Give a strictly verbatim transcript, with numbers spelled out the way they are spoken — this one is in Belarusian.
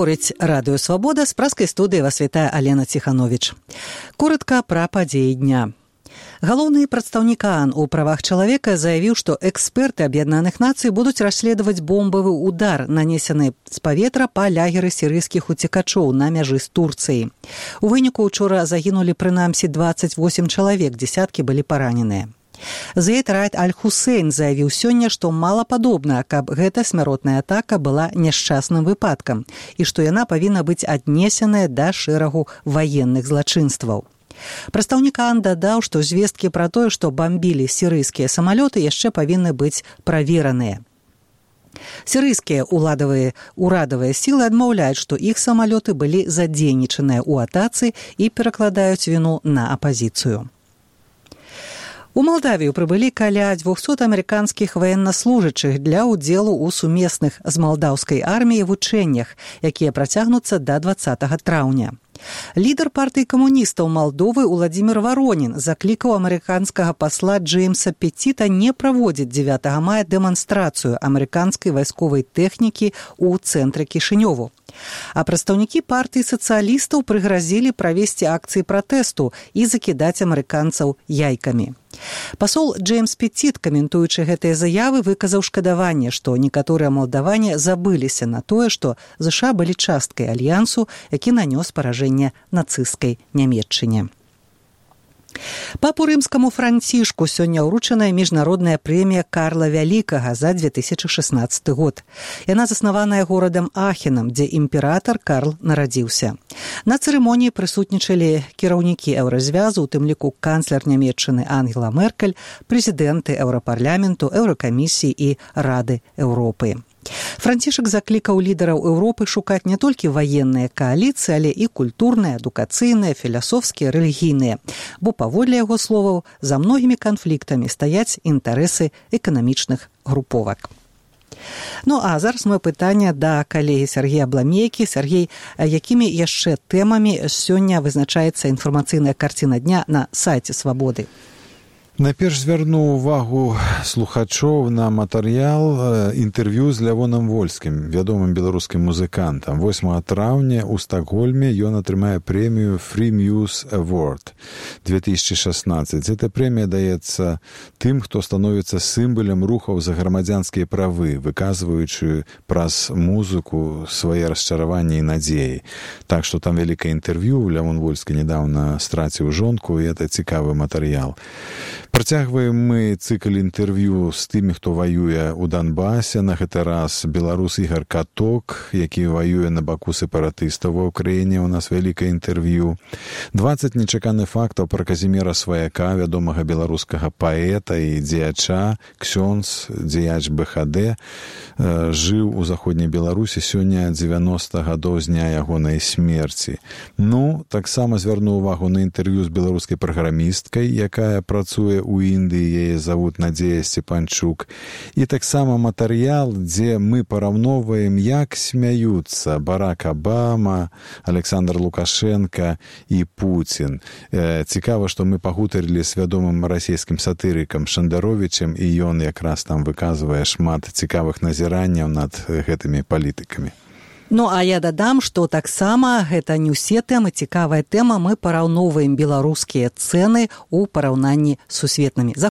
Гаворыць Радыё Свабода, з праскай студыі вас вітае Алена Ціхановіч. Коратка пра падзеі дня. Галоўны прадстаўнік ААН у правах чалавека заявіў, што эксперты Аб'яднаных Нацый будуць расследаваць бомбавы удар, нанесены з паветра па лягеры сірыйскіх уцекачоў на мяжы з Турцыяй. У выніку учора загінулі прынамсі дваццаць восем чалавек, дзесяткі былі параненыя. Заід Раід Аль-Хусейн заявіў сёння, што малападобна, каб гэта смяротная атака была няшчасным выпадкам і што яна павінна быць аднесеная да шэрагу ваенных злачынстваў. Прадстаўнік ААН дадаў, што звесткі пра тое, што бамбілі сірыйскія самалёты, яшчэ павінны быць правераныя. Сірыйскія уладавыя урадавыя сілы адмаўляюць, што іх самалёты былі задзейнічаныя ў атацы і перакладаюць віну на апазіцыю. У Малдавію прыбылі каля дзвюхсот амерыканскіх ваеннаслужачых для ўдзелу ў сумесных з малдаўскай арміяй вучэннях, якія працягнуцца да дваццатага траўня. Лідар партыі камуністаў Малдовы Уладзімір Варонін заклікаў амерыканскага пасла Джеймса Пеціта не праводзіць дзевятага мая дэманстрацыю амерыканскай вайсковай тэхнікі ў цэнтры Кішынёву. А прадстаўнікі партыі сацыялістаў прыгразілі правесці акцыі пратэсту і закідаць амерыканцаў яйкамі. Пасол Джеймс Пеціт, каментуючы гэтыя заявы, выказаў шкадаванне, што некаторыя малдаване забыліся на тое, што ЗША былі часткай альянсу, які нанёс паражэнне нацысцкай Нямецчыне. Папу рымскаму Францішку сёння ўручаная міжнародная прэмія Карла Вялікага за две тысячы шаснаццаты год. Яна заснаваная горадам Ахенам, дзе імператар Карл нарадзіўся. На цырымоніі прысутнічалі кіраўнікі еўразвязу, у тым ліку канцлер Нямецчыны Ангела Меркель, прэзідэнты Еўрапарламенту, Еўракамісіі і Рады Еўропы. Францішак заклікаў лідараў Еўропы шукаць не толькі ваенныя кааліцыі, але і культурныя, адукацыйныя, філасофскія, рэлігійныя, бо, паводле яго словаў, за многімі канфліктамі стаяць інтарэсы эканамічных груповак. Ну, а зараз моё пытанне да калегі Сергея Бламейкі. Сергей, якімі яшчэ тэмамі сёння вызначаецца інфармацыйная карціна дня на сайце Свабоды? Найперш звярну ўвагу слухачоў на матэрыял інтэрв'ю з Лявонам Вольскім, вядомым беларускім музыкантам. восьмага траўня ў Стакгольме ён атрымае прэмію Free Muse Award две тысячи шаснаццаць. Эта прэмія даецца тым, хто становіцца сімвалам рухаў за грамадзянскія правы, выказваючы праз музыку свае расчараванні і надзеі. Так што там вялікае інтэрв'ю. Лявон Вольскі недаўна страціў жонку, і это цікавы матэрыял. Працягваем мы цыкл інтэрв'ю з тымі, хто ваюе ў Донбасе. На гэты раз беларус Ігар Каток, які ваюе на баку сепаратыстаў ва Ўкраіне. У нас вялікае інтэрв'ю. дваццаць нечаканых фактаў пра Казіміра Сваяка, вядомага беларускага паэта і дзеяча, ксёндз, дзеяч БХД, жыў у заходняй Беларусі сёння дзевяноста гадоў з дня ягонай смерці. Ну, таксама звярну ўвагу на інтэрв'ю з беларускай праграмісткай, якая працуе у Індыі, яе завут Надзея Сцепанчук. І таксама матэрыял, дзе мы параўноўваем, як смяюцца Барак Абама, Александр Лукашенко і Пуцін. Цікава, што мы пагутарылі з вядомым расійскім сатырыкам Шандаровічем, і ён якраз там выказвае шмат цікавых назіранняў над гэтымі палітыкамі. Ну, а я дадам, што таксама гэта не ўсе тэмы, цікавая тэма, мы параўноўваем беларускія цэны ў параўнанні з сусветнымі.